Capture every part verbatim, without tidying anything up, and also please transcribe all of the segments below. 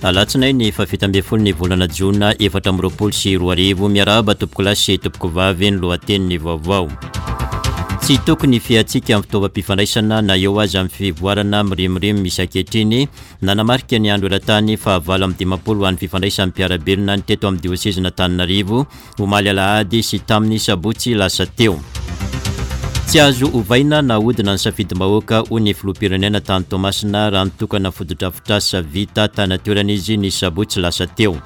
Alatsinainy fahafito ambin'ny folo ny volana jona efatra amby roapolo sy roa arivo. Miarahaba tompokolahy sy tompokovavy, ny lohatenin'ny vaovao. Tsy tokony fiatsika amin'ny fitaovam-pifandraisana na eo aza amin'ny fivoarana mirimorimo misy ankehitriny. Nanamarika ny andro eran-tany fahavalo amby dimampolo ho an'ny fifandraisan'ny mpiara-belona ny teto amin'ny diosezin'Antananarivo omaly alahady sy tamin'ny sabotsy lasa teo. Tsy azo ovaina na ahodina ny safidim-bahoaka, hoy ny filoham-pirenena tany Toamasina raha nitokana fotodrafitrasa vita tany an-toerana izy ny sabotsy lasa teo.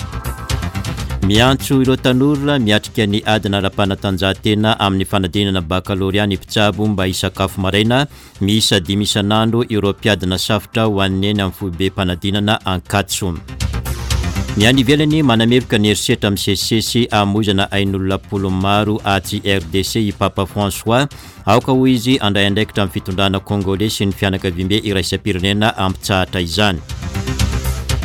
Miantso ireo tanora miatrika ny adina ara-panatanjahantena amin'ny fanadinana bakalorea ny mpitsabo mba hisakafo maraina miisa dimy isan'andro ireo mpiadina safotra ho an'ny eny amin'ny foibem-panadinana Ankatso. Ny any ivelany, manameloka ny herisetra misesisesy hamoizana ain'olona polo maro atsy R D C i Papa François. Aoka hoy izy handray andraikitra amin'ny fitondrana kongolais sy ny fianakaviambe iraisam-pirenena hampitsahatra izany.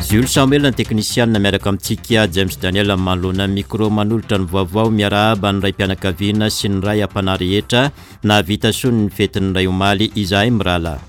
Jules Samuel ny teknisianina miaraka amintsika, James Daniel manoloana ny micro manolotra ny vaovao. Miarahaba ny ray-pianakaviana sy ny ray am-panahy rehetra nahavita soa ny fetin'ny ray omaly izahay mirahalahy.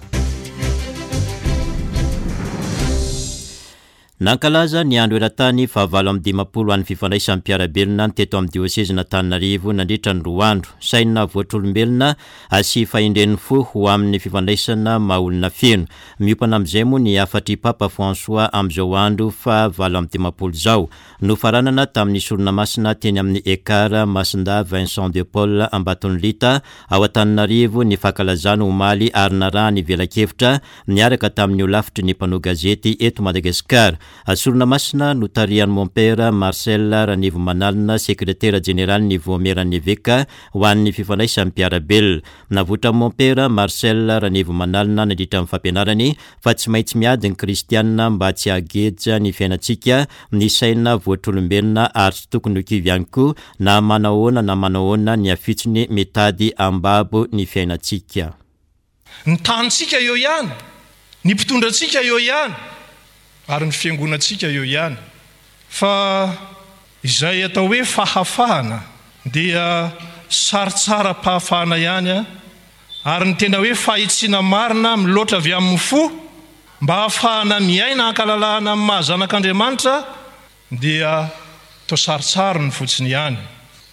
Nankalaza ny andro eran-tany fahavalo amby dimampolo ho an'ny fifandraisan'ny mpiara-belona ny teto amin'ny diosezin'Antananarivo nandritra ny roa andro. Saina voatrolombelona sy fahendren'ny fo ho amin'ny fifandraisana maha-olona feno. Miompana amin'izay moa ny hafatr'i Papa François amin'izao andro fahavalo amby dimampolo izao. Nofaranana tamin'ny sorona masina teny amin'ny Ekar Masinda Vincent de Paul Ambatonilita ao Antananarivo ny fankalazana omaly ary narahany velakevitra niaraka tamin'ny holafitry ny mpanao gazety eto Madagasikara. Sorona masina notarihan'i Mompera Marcel Ranivomanalina, sekretera jeneralin'ny Vaomieran'ny Eveka ho an'ny fifandraisan'ny mpiara-belona. Navoitran'i Mompera Marcel Ranivomanalina nandritra ny fampianarany fa tsy maintsy miady ny kristianina mba tsy hageja ny fiainantsika, ny saina voatrolombelona ary tsy tokony ho kivy ihany koa na manahoana na manahoana ny afitsony mitady ambabo ny fiainantsika. Ny tanintsika eo ihany, ny mpitondrantsika eo ihany, ary ny fiangonantsika eo ihany. Fa izay atao hoe fahafahana dia sarotsaram-pahafahana ihany, ary ny tena hoe fahitsiana marina miloatra avy amin'ny fo mba hahafahana miaina ankalalahana amin'ny maha zanak'Andriamanitra dia toa sarotsarony fotsiny ihany.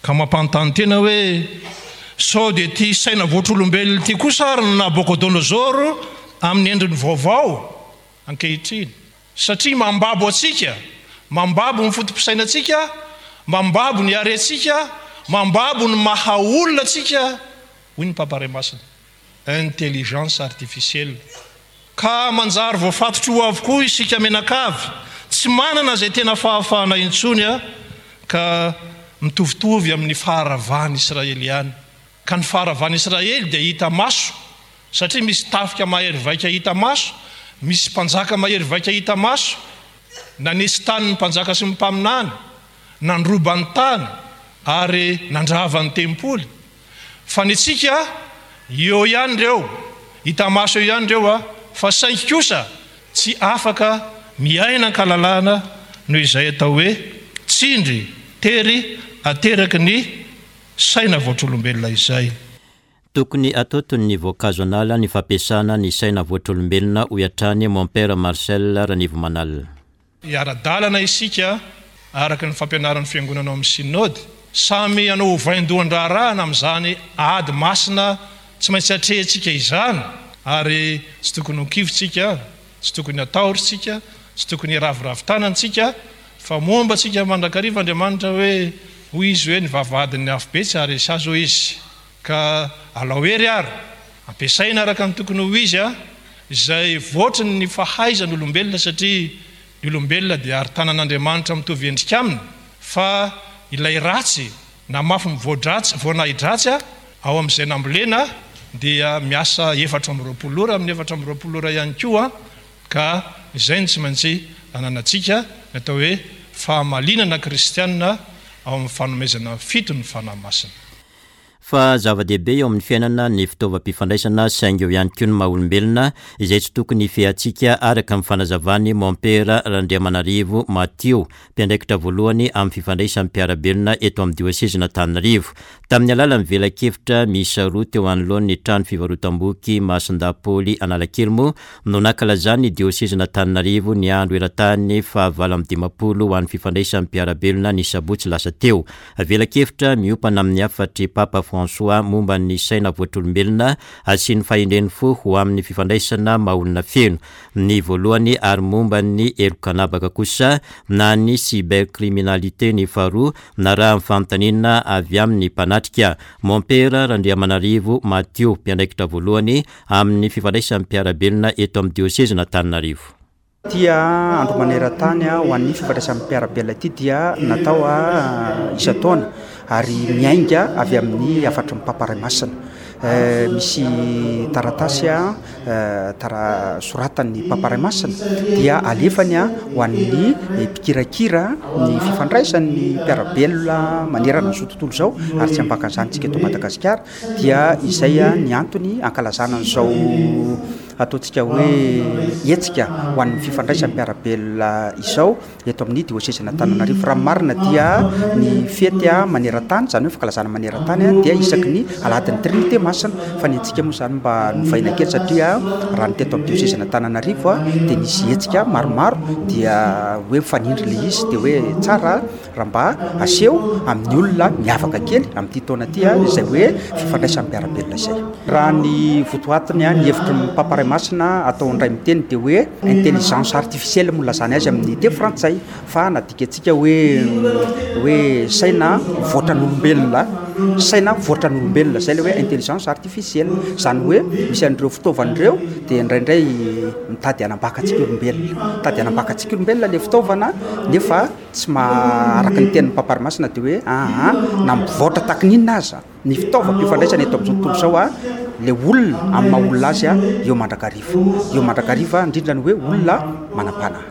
Ka mampanontany tena hoe sao dia ity saina voatrolombelona ity kosa ary no Nabucodonosor amin'ny endriny vaovao ankehitriny, satria mambabo antsika, mambabo ny foto-pisainantsika, mambabo ny harentsika, mambabo ny maha olona antsika, hoy ny Papa Ray Masina. Intelligence artificielle. Ka manjary voafatotro ho avokoa isika menakavy, tsy manana izay tena fahafahana intsony, ka mitovitovy amin'ny faharavan'i Israely ihany. Ka ny faharavan'i Israely dia hita maso, satria misy tafika mahery vaika hita maso, misy mpanjaka mahery vaika hita maso, nanesy tany ny mpanjaka sy ny mpaminany, nandroba ny tany ary nandrava ny tempoly. Fa ny antsika eo ihany ireo, hita maso eo ihany ireo, fa saingy kosa tsy afaka miaina ankalalahana noho izay atao hoe tsindry tery ateraky ny saina voatrolombelona izay. Tokony atao toy ny voankazo an'ala ny fampiasana ny saina voatrolombelona, hoy hatrany Mompera Marcel Ranivomanalina. Hiara-dalana isika araka ny fampianaran'ny fiangonana ao amin'ny synode, samy hanao ho vaindohan-draharahana amin'izany ady masina tsy maintsy atrehintsika izany, ary tsy tokony ho kivy tsika, tsy tokony hatahotra tsika, tsy tokony hiraviravy tanana tsika, fa momba antsika mandrakariva Andriamanitra hoe hoy izy hoe ny vavahadin'ny afobe tsy haharesy azy hoy izy. Ka alao hery ary, ampiasaina araka ny tokony ho izy izay voatry ny fahaizan'olombelona, satria ny olombelona dia ary tanan'Andriamanitra mitovy endrika aminy, fa ilay ratsy na mafy mivoadratsy, voanahidratsy ao amin'izay nambolena dia miasa efatra amby roapolo ora amin'ny efatra amby roapolo ora ihany koa, ka izay no tsy maintsy ananantsika ny atao hoe fahamalinana kristianina ao amin'ny fanomezana fito ny Fanahy Masina. Fa zava-dehibe eo amin'ny fiainana ny fitaovam-pifandraisana, saingy eo ihany koa ny maha olombelona izay tsy tokony hifehantsika, araka ny fanazavan'i Mompera Randriamanarivo Matio, mpiandraikitra voalohany amin'ny fifandraisan'ny mpiara-belona eto amin'ny diosezin'Antananarivo. Tamin'ny alalan'ny velakevitra miisa roa teo anoloan'ny trano fivarotam-boky Masindahy Paoly Analakely moa no nankalazan'ny diosezin'Antananarivo ny andro eran-tany fahavalo amby dimampolo ho an'ny fifandraisan'ny mpiara-belona ny sabotsy lasa teo. Velakevitra miompana amin'ny hafatry Papa François momba ny saina voatr'olombelona sy ny fahendren'ny fo ho amin'ny fifandraisana maha-olona feno ny voalohany, ary momba ny heloka an'habaka kosa na ny cybercriminalité ny faharoa, narahan'ny fanontaniana avy amin'ny mpanatrika. Mompera Randriamanarivo Matio, mpiandraikitra voalohany amin'ny fifandraisan'ny mpiara-belona eto amin'ny diosezin'Antananarivo. Ity andro maneran-tany ho an'ny fifandraisan'ny mpiara-belona ity dia natao isan-taona ary miainga avy amin'ny hafatry ny Papa Ray Masina. Misy taratasy tara soratan'ny Papa Ray Masina dia alefany ho an'ny mpikirakira ny fifandraisan'ny mpiara-belona manerana an'izao tontolo izao, ary tsy ambakan'izany tsika eto Madagasikara. Dia izay ny antony ankalazana an'izao ataontsika hoe hetsika ho an'ny fifandraisan'ny mpiara-belona izao eto amin'ny diosezin'Antananarivo. Raha marina dia ny fety maneran-tany, izany hoe fankalazana maneran-tany, dia isaky ny alahadin'ny Trinité Masina. Fa ny antsika moa izany mba novaina kely, satria raha ny teto amin'ny diosezin'Antananarivo dia nisy hetsika maromaro, dia hoe mifanindry ilay izy, dia hoe tsara raha mba aseho amin'ny olona miavaka kely amin'ity taona ity izay hoe fifandraisan'ny mpiara-belona izay. Raha ny votoatiny, ny hevitry ny Papa Ray Masina atao indray miteny dia hoe intelligence artificielle moa lazany azy amin'ny teny frantsay, fa nadika antsika hoe hoe saina voatran'olombelona, saina voatran'olombelona zay ilay hoe intelligence artificielle. Izany hoe misy an'ireo fitaovana ireo dia indraindray mitady hanambaka antsika olombelona, mitady hanambaka antsika olombelona ilay fitaovana, nefa tsy maharaka ny tenin'ny Papa Ray Masina dia hoe aha, na mivoatra tahaka ny inona aza ny fitaovam-pifandraisana eto amin'izao tontolo izao, ilay olona amin'ny maha olona azy eo mandrakariva, eo mandrakariva, indrindra ny hoe olona manam-panahy.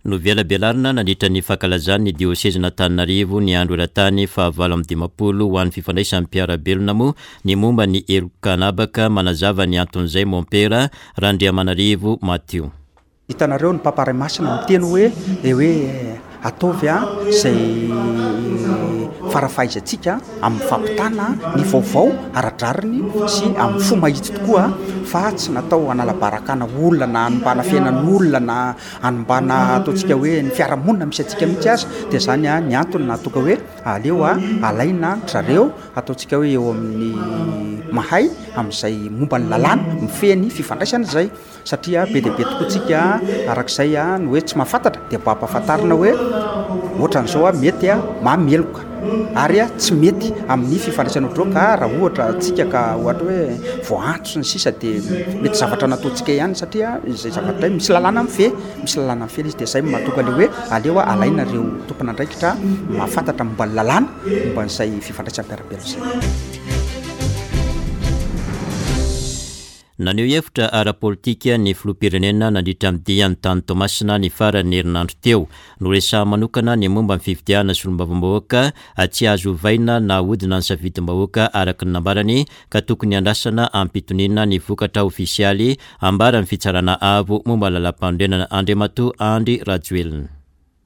Novelabelarina nandritra ny fankalazan'ny diosezin'Antananarivo ny andro eran-tany fahavalo amby dimampolo ho an'ny fifandraisan'ny mpiara-belona moa ny momba ny heloka an'habaka. Manazava ny anton'izay Mompera Randriamanarivo Matio. Hitanareo ny Papa Ray Masina miteny hoe de hoe ataovy a izay farafahaizantsika amin'ny fampitana ny vaovao ara-drariny sy amin'ny fo mahitsy tokoa, fa tsy natao hanala-barakana olona na hanombana fiainan'olona na hanombana ataontsika hoe ny fiarahamonina misy antsika mihitsy aza. Dia zany a ny antony nahatonga hoe aleo a alaina zareo ataontsika hoe eo amin'ny mahay amin'izay momba ny lalàna mifehy ny fifandraisana izay, satria be dia be tokoa tsika arak'izay a ny hoe tsy mahafantatra, dia mba ampahafantarina hoe ohatran'izao a mety a mahameloka ary a tsy mety amin'ny fifandraisana ohatr'izao. Ka raha ohatra tsika ka ohatra hoe voaantso sy ny sisa, dia mety zavatra nataontsika ihany, satria izay zavatra misy lalàna mifehy, misy lalàna mifehy izy. Dia izay mahatonga ilay hoe aleo a alaina ireo tompon'andraikitra mahafantatra momba ny lalàna momba an'izay fifandraisan'ny mpiara-belona izay. Naneho hevitra ara-politika ny filoham-pirenena nandritra ny diany tany Toamasina ny faran'ny herinandro teo. Noresahany manokana ny momba ny fifidianana solombavambahoaka tsy azo ovaina na ahodina ny safidim-bahoaka, araka ny nambarany, ka tokony andrasana ampitoniana ny vokatra ofisialy ambaran'ny fitsarana avo momba ny lalàm-panorenana. Andriamatoa Andry Rajoelina.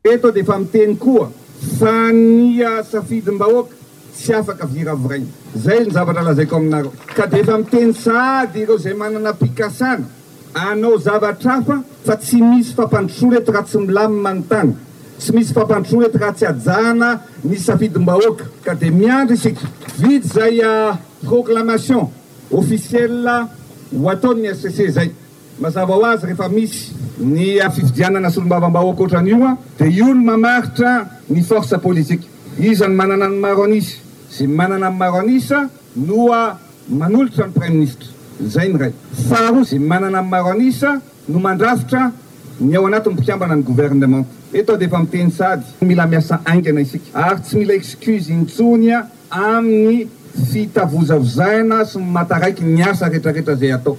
Eto dia efa miteny koa fa ny safidim-bahoaka tsy afaka viraviraina. Zay ny zavatra lazaiko aminareo. Ka dia efa miteny sahady ireo izay manana pikasana hanao zavatra hafa fa tsy misy fampandrosoana eto raha tsy milamina ny tany. Tsy misy fampandrosoana eto raha tsy hajana ny safidim-bahoaka. Ka dia miandry isika. Vita izay proclamation officielle ho ataon'ny H C C izay. Mazava ho azy rehefa misy ny fifidianana solombavambahoaka ohatran'io dia io no mamaritra ny force politique. Iza no manana ny maro an'isa? Izay manana ny maro an'isa no manolotra ny premier ministre. Izay ny iray. Faharoa, izay manana ny maro an'isa no mandrafitra ny ao anatin'ny mpikambana ny gouvernement. Eto dia efa miteny sady mila miasa haingana isika ary tsy mila excuse intsony amin'ny fitavozavozaina sy ny mataraiky ny asa rehetrarehetra izay atao.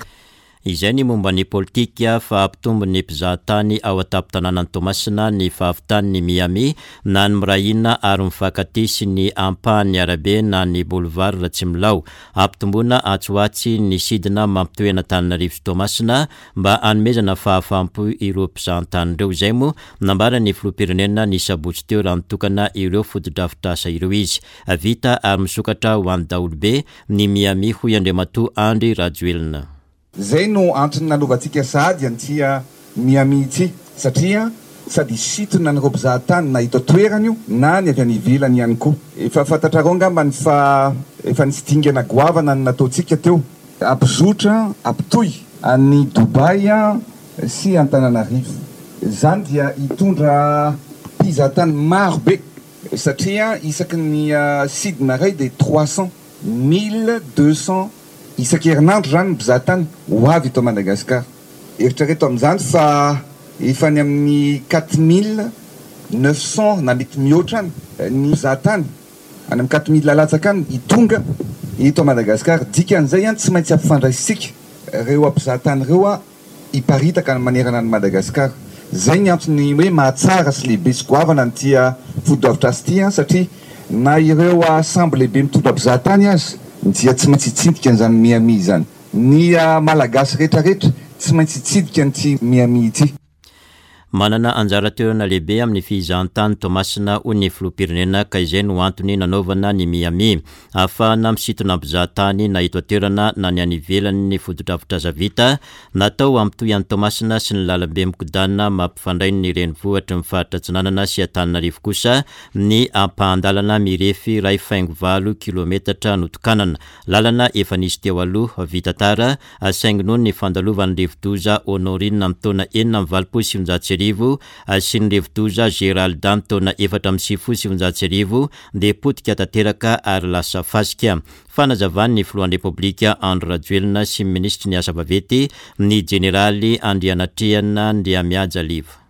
Izay ny momba ny politika fa hampitombo ny mpizahatany ao an-tampon-tanànan'i Toamasina ny fahavitan'ny Miami na ny Mirahina ary mifankatia sy ny ampahan'ny arabe na ny boulevard Ratsimilaho. Hampitomboana atsy ho atsy ny sidina mampitohy an'Antananarivo sy Toamasina mba hanomezana fahafaham-po ireo mpizahantany ireo. Izay moa nambaran'ny filoham-pirenena ny sabotsy teo raha nitokana ireo fotodrafitrasa ireo izy. Vita ary misokatra ho an'ny daholobe ny Miami, hoy Andriamatoa Andry Rajoelina. Zay no antony nanaovantsika sahady an'ity Miami ity, satria sady hisintona an'ireo mpizahatany na eto an-toerana io na ny avy any ivelany ihany koa. Efa fantatrareo angambany fa efa nisy dingana goavana ny nataontsika teo, hampizotra, hampitohy an'i Dubaï sy Antananarivo. Izany dia hitondra mpizahatany maro be, satria isaky ny sidina iray dia trois cents, mille deux cents isan-kerinandro zany ny mpizahatany ho avy eto Madagasikara. Eritrereto amin'izany fa efa any amin'ny quatre mille neuf cents na mety mihoatra any ny mpizahatany, any amin'ny quatre mille latsaka any hitonga eto Madagasikara. Dikan'izay ihany tsy maintsy ampifandraisitsika ireo mpizahatany ireo a hiparitaka manerana an'i Madagasikara. Zay ny antony hoe mahatsara sy lehibe sy goavana an'ity fotodrafitrasa ity, satria na ireo sambo lehibe mitondra mpizahatany aza dia tsy maintsy hitsidika an'izany Miami izany. Ny Malagasy rehetrarehetra tsy maintsy hitsidika an'ity Miami ity. Manana anjara toerana lehibe amin'ny fizahantany Toamasina hoy ny filoham-pirenena, ka izay no antony nanaovana ny Miami. Ahafahana misintona mpizahatany na eto an-toerana na ny any ivelany ny fotodrafitrasa vita natao hampitohy an'i Toamasina sy ny lalambe mikodana mampifandray ny renivohitry ny faritra Atsinanana sy Antananarivo kosa ny ampahan-dalana mirefy iray faingo valo kilometatra notokanana. Lalana efa nisy teo aloha vita tara, saingy noho ny fandalovan'ny rivodoza Honorine amin'ny taona enina amby valopolo sy sivinjato sy arivo sy ny rivodoza Geralda ny taona efatra amby sivifolo sy sivinjato sy arivo dia potika tanteraka ary lasa fasika. Fanazavan'ny filohan'ny Repoblika Andry Rajoelina sy ny minisitry ny asa vaventy ny jeneraly Andrianatrehana Andriamihaja Liva.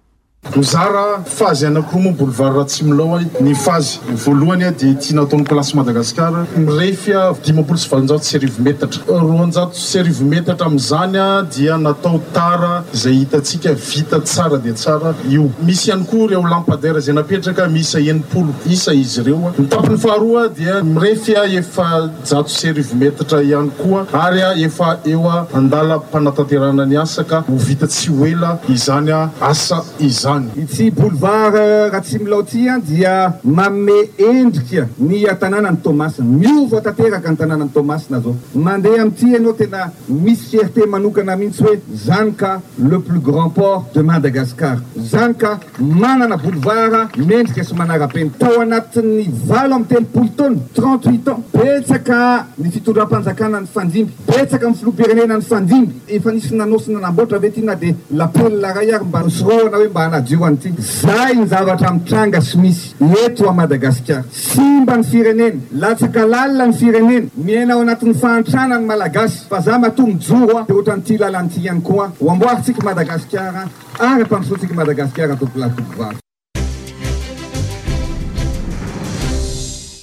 Mizara fazy anankiroa moa boulevard Ratsimilaho. Ny fazy voalohany dia ity nataon'ny Place Madagascar, mirefy dimampolo sy valonjato sy arivo metatra. Roanjato sy arivo metatra amin'izany dia natao tara izay hitantsika vita tsara dia tsara io. Misy ihany koa ireo lampadaire izay napetraka miisa enimpolo isa izy ireo. Ny tapany faharoa dia mirefy efajato sy arivo metatra ihany koa, ary efa eo andalam-panatanterahana ny asa ka ho vita tsy ho ela izany asa izany. Ity boulevard Ratsimilaho ity dia manome endrika ny tanànan'i Toamasina. Miova tanteraka ny tanànan'i Toamasina zao. Mandeha amin'ity ianao tena misy fierté manokana mihitsy hoe zany ka le plus grand port de Madagascar. Zany ka manana boulevard mendrika sy manara-penitra. Tao anatin'ny valo amby telopolo taona, trente-huit ans, betsaka ny fitondram-panjakana ny fandimby, betsaka ny filoham-pirenena ny fandimby. Efa nisy nanao sy nanamboatra ve ty na dia lapelina iray ary mba nosorohana hoe mba hanadio an'ity. Zay ny zavatra mitranga sy misy eto a Madagasikara. Simba ny firenena, latsaka lalina ny firenena, miaina ao anatin'ny fahantrana ny Malagasy. Fa za matoa mijoro a, dia ohatran'ity lalana ity ihany koa ho amboarintsika Madagasikara ary ampandrosoantsika Madagasikara tompolahy tompovavy.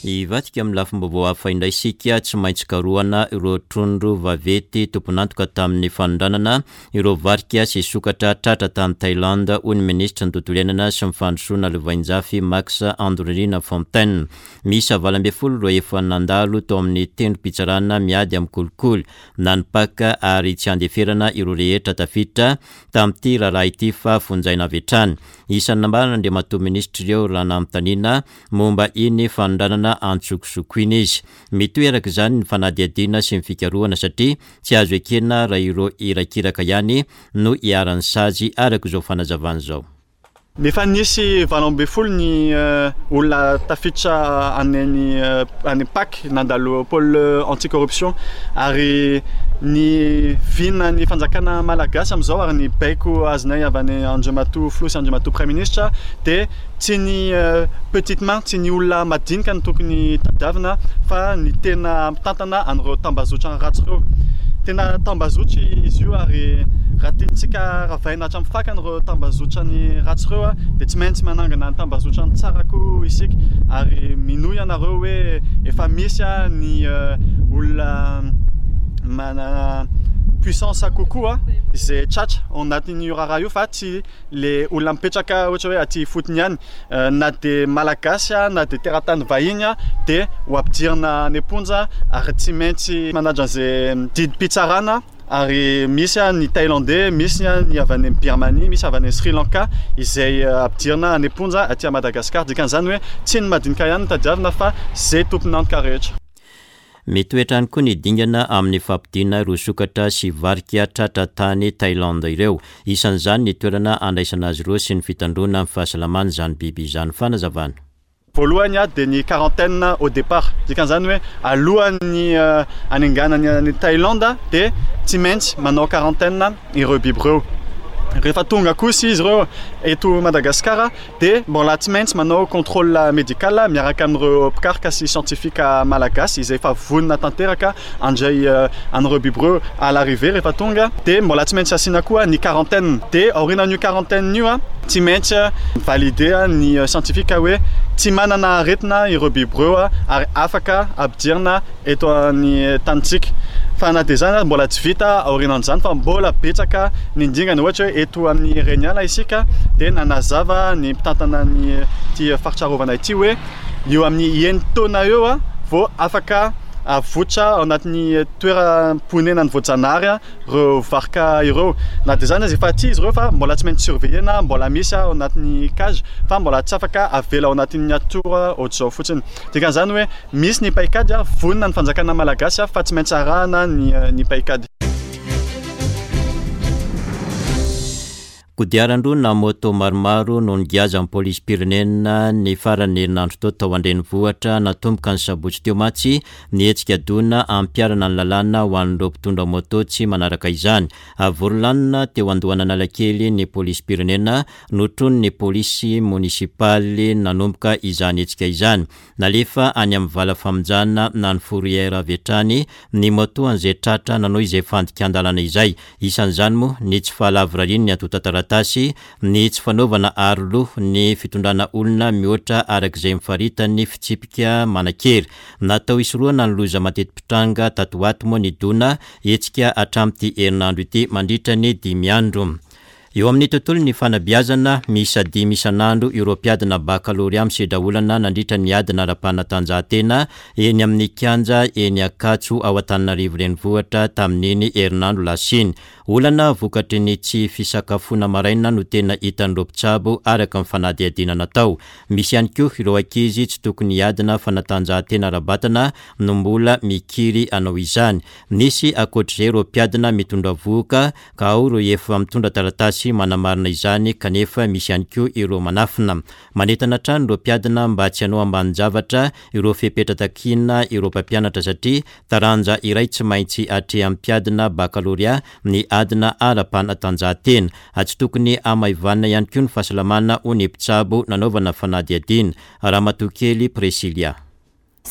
Hivadika amin'ny lafim-baovao hafa indray isika. Tsy maintsy karohana ireo trondro vaventy tompon'antoka tamin'ny fanondranana ireo varika sy sokatra tratra tany Thaïlande, hoy ny minisitry ny tontolo iainana sy ny fandrosoana Lovainjafy Max Andronirina Fontaine. Miisa valo ambin'ny folo ireo efa nandalo tao amin'ny tendrom-pitsarana miady amin'ny kolikoly na ny P A C, ary tsy andeferana ireo rehetra tafiditra tamin'ity raharaha ity fa vonjaina avy hatrany. Isan'ny nambaran'Andriamatoa minisitry ireo raha nanontaniana momba iny fanondranana antsokosoko iny izy. Mitohy araka izany ny fanadihadiana sy ny fikarohana satria tsy azo ekena raha ireo irakiraka ihany no iharan'ny sazy araka izao fanazavana izao. Efa nisy valo ambin'ny folo ny olona tafiditra any any P A C nandalo pôle anticorruption, ary ny vina ny fanjakana malagasy amin'izao ary ny baiko azonay avy any Andriamatoa Filoha sy Andriamatoa Premier Ministre dia tsy ny petite main, tsy ny olona madinika no tokony tadiavina fa ny tena mitantana an'ireo tambazotra ratsy ireo. Tena tambazotra izy io, ary raha tiantsika ravaina hatramin'ny fakany ireo tambazotra ny ratsy ireo dia tsy maintsy manangana ny tambazotra ny tsara koa isika. Ary minoa ianareo hoe efa misy ny olona manana Puissance kokoa izay tratra ao anatin'io raharaha io, fa tsy le olona mipetraka ohatra hoe aty ifotony ihany, na dia malagasy na dia teratany vahiny dia ho ampidirina any am-ponja ary tsy maintsy manaja an'izay didim-pitsarana. Ary misy ny Thaïlandais, misy ny avy any Birmanie, misy avy any Sri Lanka izay ampidirina any am-ponja aty Madagasikara. Dikan'izany hoe tsy ny madinika ihany no tadiavina fa izay tompon'antoka rehetra. Mitoetra ihany koa ny dingana amin'ny fampodiana ireo sokatra sy varika tratra tany Thaïlande ireo. Isan'izany ny toerana andraisana azy ireo sy ny fitandroana ny fahasalamana izany biby izany. Fanazavana. Voalohany a dia ny quarantaine au départ. Dikan'izany hoe alohan'ny anenganany any Thaïlande dia tsy maintsy manao quarantaine ireo biby ireo. Rehefa tonga kosa izy ireo eto Madagasikara dia mbola tsy maintsy manao contrôle médical miaraka amin'ireo mpikaroka sy scientifique malagasy izay efa vonona tanteraka handray an'ireo biby ireo à l'arrivée. Rehefa tonga dia mbola tsy maintsy asiana koa ny quarantaine. Dia aorianan'io quarantaine io a tsy maintsy valider ny scientifique hoe tsy manana aretina ireo biby ireo ary afaka ampidirina eto amin'ny tanintsika. Fa na dia izany mbola tsy vita aorianan'izany fa mbola betsaka ny dingana. Ohatra hoe eto amin'ny Reniala isika dia nanazava ny mpitantana ny ity faritra arovana ity hoe eo amin'ny enin-taona eo a vao afaka avotra ao anatin'ny toeram-ponenany voajanahary ireo varika ireo. Na dia izany aza efa aty izy ireo fa mbola tsy maintsy surveiller-na, mbola misy ao anatin'ny cage fa mbola tsy afaka avela ao anatin'ny natiora ohatr'izao fotsiny. Dikan'izany hoe misy ny paikady, vonona ny fanjakana malagasy fa tsy maintsy arahana ny ny paikady. Kodiaran-droa na moto maromaro no nigiazan'ny polisim-pirenena ny faran'ny herinandro teo tao an-drenivohitra. Natomboka ny sabotsy teo mantsy ny hetsika dona ampiharana ny lalàna ho an'ireo mpitondra moto tsy manaraka izany. Vory lanona teo Andohan'Analakely ny polisim-pirenena notronin'ny polisy monisipaly nanomboka izany hetsika izany. Nalefa any amin'ny vala famonjana na ny fourrière avy hatrany ny moto an'izay tratra nanao izay fandikan-dalàna izay. Isan'izany moa ny tsy fahalavorarian'ny antontan-taratasy, ny tsy fanaovana aro loha, ny fitondrana olona mihoatra arak'izay mifaritan'ny fitsipika manan-kery. Natao hisorohana ny loza mateti-pitranga tato ho ato moa ny dona hetsika hatramin'ity herinandro ity mandritra ny dimy andro. Eo amin'ny tontolo ny fanabeazana, miisa dimy isan'andro ireo mpiadina bakalorea misedra olana nandritra ny adina ara-panatanjahantena eny amin'ny kianja eny Ankatso ao Antananarivo renivohitra tamin'iny herinandro lasa iny. Olana vokatry ny tsy fisakafoana maraina no tena hitan'ireo mpitsabo araka ny fanadihadiana natao. Misy ihany koa ireo ankizy tsy tokony hiadina fanatanjahantena ara-batana no mbola mikiry hanao izany. Nisy ankoatr'izay ireo mpiadina mitondra vohoka ka ao ireo efa mitondra taratasy manamarina izany kanefa misy ihany koa ireo manafina. Manentana hatrany ireo mpiadina mba tsy hanao ambanin-javatra ireo fepetra takiana ireo mpampianatra satria taranja iray tsy maintsy atrehan'ny mpiadina bakalorea ny adina ara-panatanjahantena. Tsy tokony hamaivanina ihany koa ny fahasalamana hoy ny mpitsabo nanaovana fanadihadiana. Ramatoa kely Priscilla.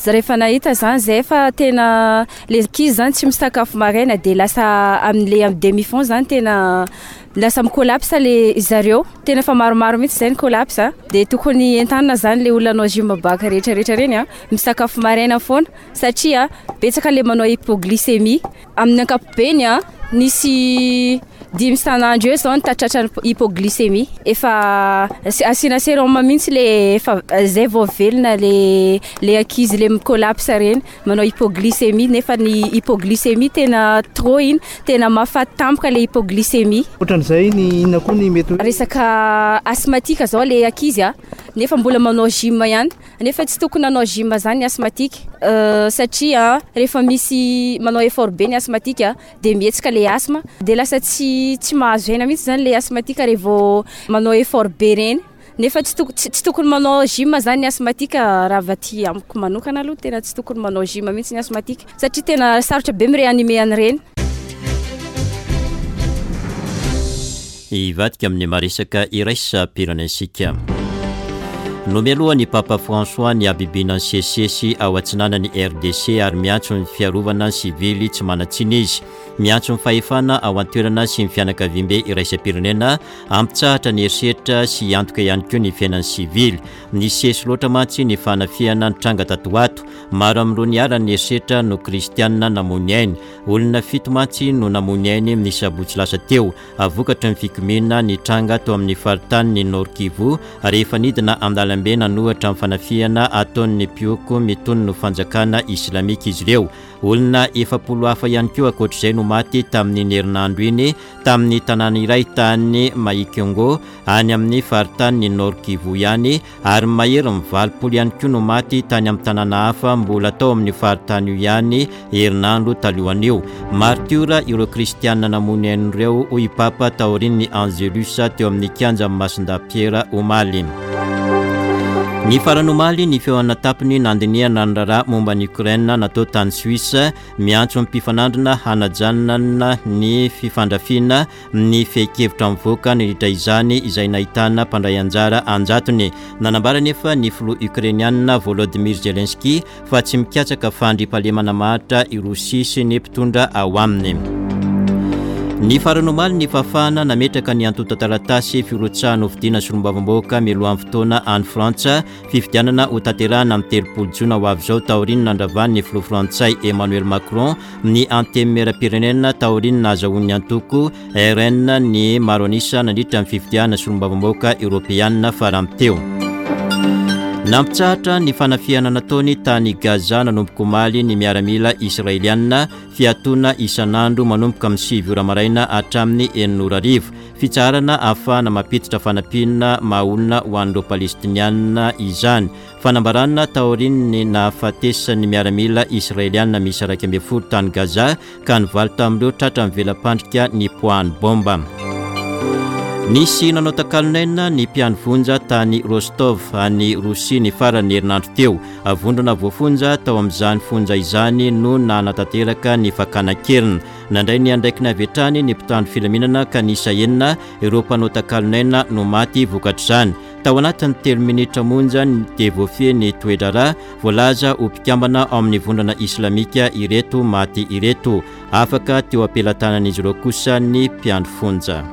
Rehefa nahita zany zay fa tena le ankizy zany tsy misakafo maraina dia lasa amin'le amin'ny demi-fond zany tena lasa mi-collapse le zareo, tena efa maromaro mihitsy zay ny collapse. Dia tokony entanina zany le olona hanao gym bac rehetrarehetra reny a misakafo maraina foana satria betsaka le manao hypoglycémie. Amin'ny ankapobeny a nisy dimy isan'andro eo zao ny tratran'ny hypoglycémie, efa asiana sérum mihitsy le efa zay vao velona le le ankizy le mi-collapse reny manao hypoglycémie, nefa ny hypoglycémie tena trop iny, tena mahafaty tampoka le hypoglycémie. Ohatran'izay ny inona koa ny mety Resaka asthmatique zao le ankizy a nefa mbola manao gym ihany, nefa tsy tokony hanao gym zany ny asthmatique satria rehefa misy manao effort be ny asthmatique dia mihetsika le asthme dia lasa tsy tsy mahazo aina mihitsy zany le asthmatique rehefa manao effort be reny, nefa tsy toko tsy tokony manao gym zany ny asthmatique. Raha avy aty amiko manokana aloha tena tsy tokony manao gym mihitsy ny asthmatique satria tena sarotra be mi-réanimer an'ireny. Hivadika amin'ny maresaka iraisam-pirenena isika. Nomeloha ny Papa François ny habibiana nisesisesy ao atsinanan'ny R D C ary miantso ny fiarovana ny sivily tsy manan-tsiny izy. Miantso ny fahefana ao an-toerana sy ny fianakaviambe iraisam-pirenena hampitsahatra ny herisetra sy hiantoka ihany koa ny fiainan'ny sivily. Nisesy loatra mantsy ny fanafihana nitranga tato ho ato. Maro amin'ireo niharan'ny herisetra no kristianina namoy ny ainy. Olona fito mantsy no namoy ny ainy ny sabotsy lasa teo, vokatry ny fikomiana nitranga tao amin'ny faritany Nord Kivu, rehefa nidina an-dalambe nanohitra amin'ny fanafihana ataon'ny mpihoko mitonona ho fanjakana islamika izy ireo. Olona efapolo hafa ihany koa ankoatr'izay no maty tamin'ny herinandro iny tamin'ny tanàna iray tany Mahikongo any amin'ny faritany Nord Kivu ihany, ary mahery ny valopolo ihany koa no maty tany amin'ny tanàna hafa mbola tao amin'ny faritany io ihany herinandro talohan'io. Martiora ireo kristianina namoy ny ain'ireo, hoy Papa taorian'ny Angelus teo amin'ny kianja Masindahy Piera omaly. Ny farany omaly ny fihaonana an-tampony nandinihana ny raharaha momba ny Ukraine natao tany Suisse. Miantso ny mpifanandrina hanajanana ny fifandrafiana ny fehin-kevitra mivoaka nandritra izany, izay nahitana mpandray anjara anjatony. Nanambara nefa ny filoha ukrainianina Volodymyr Zelensky fa tsy mikatsaka fandriampahalemana maharitra i Rosia sy ny mpitondra ao aminy. Ny farany omaly ny fahafahana nametraka ny antontan-taratasy firotsahana hofidiana solombavambahoaka mialohan'ny fotoana any Frantsa, fifidianana ho tanterahana amin'ny telopolo jona ho avy izao, taorian'ny nandravan'ny filoha frantsay Emmanuel Macron ny antenimieram-pirenena taorian'ny nahazahoan'ny antoko R N ny maro anisa nandritra ny fifidianana solombavambahoaka eoropeanina farany teo. Nampitsahatra ny fanafihana nataony tany Gaza nanomboka omaly ny miaramila israelianina. Fiatoana isan'andro manomboka amin'ny sivy ora maraina hatramin'ny enina ora hariva, fitsaharana ahafahana mampiditra fanampiana maha-olona ho an'ireo palestinianina izany. Fanambarana taorian'ny nahafatesan'ny miaramila israelianina misy iraika ambin'ny folo tany Gaza, ka ny valo tamin'ireo tratra ny vela-pandrika nipoahan'ny bomba. Nisy nanao takalon'aina ny mpiandry fonja tany Rostov any Rosia ny farany herinandro teo. Vondrona voafonja tao amin'izany fonja izany no nanatanteraka ny fakana an-keriny. Nandray ny andraikiny avy hatrany ny mpitandro filaminana, ka nisy enina ireo mpanao takalon'aina no maty vokatr'izany tao anatin'ny telo minitra monja dia voafehy ny toe-draharaha. Voalaza ho mpikambana ao amin'ny vondrona islamika ireto maty ireto. Afaka teo am-pelatanan'izy ireo kosa ny mpiandry fonja.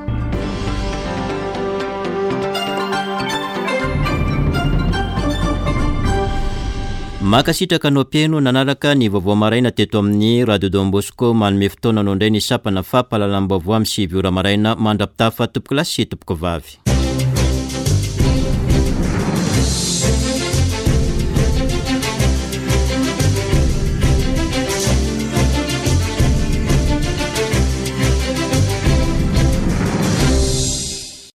Mankasitraka anao mpihaino nanaraka ny vaovao maraina teto amin'ny Radio Don Bosco. Manome fotoana anao indray ny sampana fampahalalam-baovao amin'ny sivy ora maraina. Mandra-pitafa, tompoko lahy sy tompoko vavy.